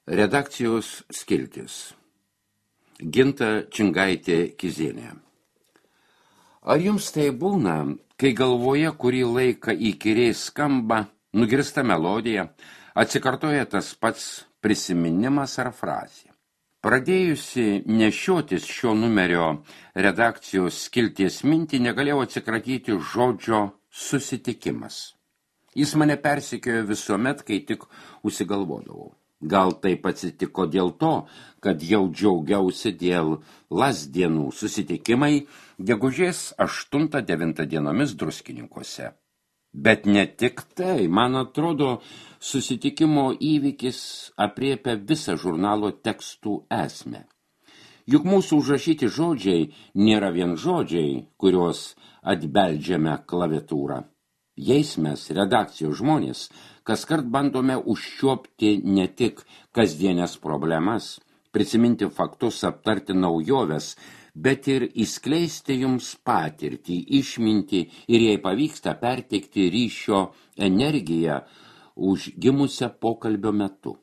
Redakcijos skiltis. Ginta Čingaitė-Kizienė. Ar jums tai būna, kai galvoje kurį laiką įkyriai skamba, nugirsta melodija, atsikartoja tas pats prisiminimas ar frazė? Pradėjusi nešiotis šio numerio redakcijos skilties mintį, negalėjau atsikratyti žodžio susitikimas. Jis mane persekiojo visuomet, kai tik užsigalvodavau. Gal taip atsitiko dėl to, kad jau džiaugiausi dėl lasdienų susitikimai gegužės 8-9 dienomis Druskininkuose. Bet ne tik tai, man atrodo, susitikimo įvykis aprėpia visą žurnalo tekstų esmę. Juk mūsų užrašyti žodžiai nėra vien žodžiai, kuriuos atbeldžiame klaviatūrą. Jais mes, redakcijos žmonės, kaskart bandome užčiuopti ne tik kasdienės problemas, prisiminti faktus, aptarti naujoves, bet ir įskleisti jums patirtį, išmintį ir jei pavyksta perteikti ryšio energiją užgimusią pokalbio metu.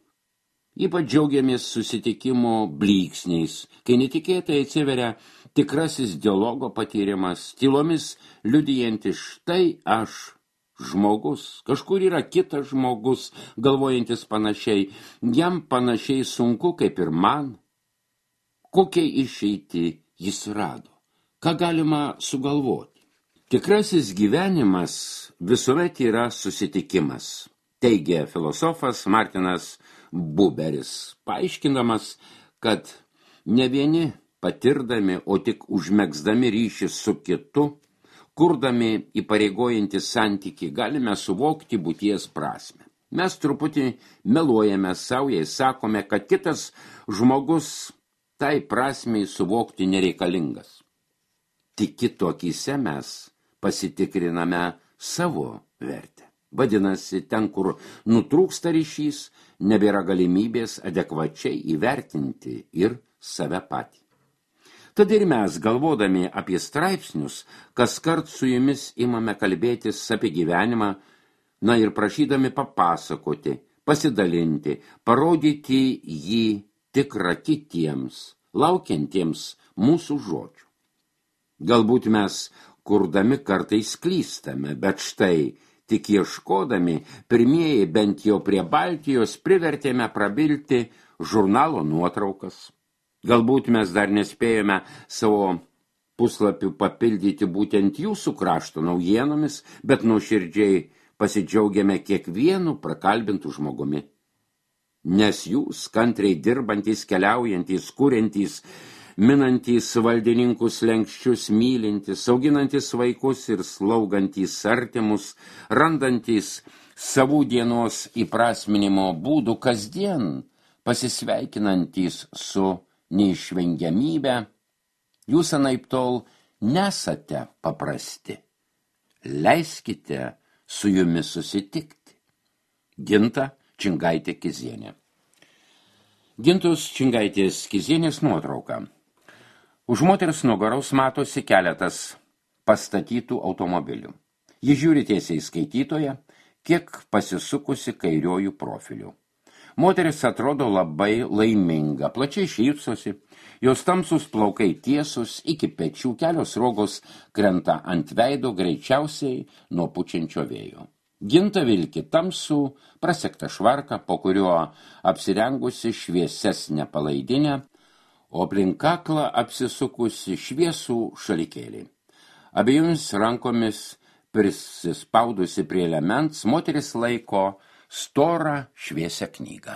Ypač džiaugiamės susitikimo blyksniais, kai netikėtai atsiveria tikrasis dialogo patyrimas, tylomis liudijantis štai aš, žmogus, kažkur yra kitas žmogus, galvojantis panašiai, jam panašiai sunku kaip ir man. Kokią išeitį jis rado? Ką galima sugalvoti? Tikrasis gyvenimas visuomet yra susitikimas, teigia filosofas Martinas Buberis, paaiškinamas, kad ne vieni patirdami, o tik užmegzdami ryšį su kitu, kurdami įpareigojantį santykį, galime suvokti būties prasmę. Mes truputį meluojame savo, jei sakome, kad kitas žmogus tai prasmei suvokti nereikalingas. Tik kito akyse mes pasitikriname savo vertę. Vadinasi, ten, kur nutrūksta ryšys, nebėra galimybės adekvačiai įvertinti ir save patį. Tad ir mes, galvodami apie straipsnius, kaskart su jumis imame kalbėtis apie gyvenimą, na ir prašydami papasakoti, pasidalinti, parodyti jį tikrą kitiems, laukiantiems mūsų žodžių. Galbūt mes, kurdami kartais klystame, bet štai, tik ieškodami, pirmieji bent jau prie Baltijos privertėme prabilti žurnalo nuotraukas. Galbūt mes dar nespėjome savo puslapių papildyti būtent jūsų krašto naujienomis, bet nuoširdžiai pasidžiaugiame kiekvienu prakalbintų žmogumi. Nes jūs, kantriai dirbantys, keliaujantys, kuriantys, minantys valdininkus lenkščius, mylintys, auginantys vaikus ir slaugantys artimus, randantys savų dienos įprasminimo būdų kasdien, pasisveikinantys su neišvengiamybę, jūs anaiptol nesate paprasti. Leiskite su jumis susitikti. Ginta Čingaitė-Kizienė. Gintos Čingaitės-Kizienės nuotrauka. Už moters nugaros matosi keletas pastatytų automobilių. Ji žiūri tiesiai skaitytoje, kiek pasisukusi kairiojų profilių. Moteris atrodo labai laiminga, plačiai šypsosi, jos tamsus plaukai tiesus iki pečių, kelios rogos krenta ant veido greičiausiai nuo pučiančio vėjo. Ginta vilki tamsų, prasektą švarką, po kuriuo apsirengusi šviesesnę palaidinę, o aplink kaklą apsisukusi šviesų šalikėlį. Abiejomis rankomis prisispaudusi prie liemens, moteris laiko storą šviesią knygą.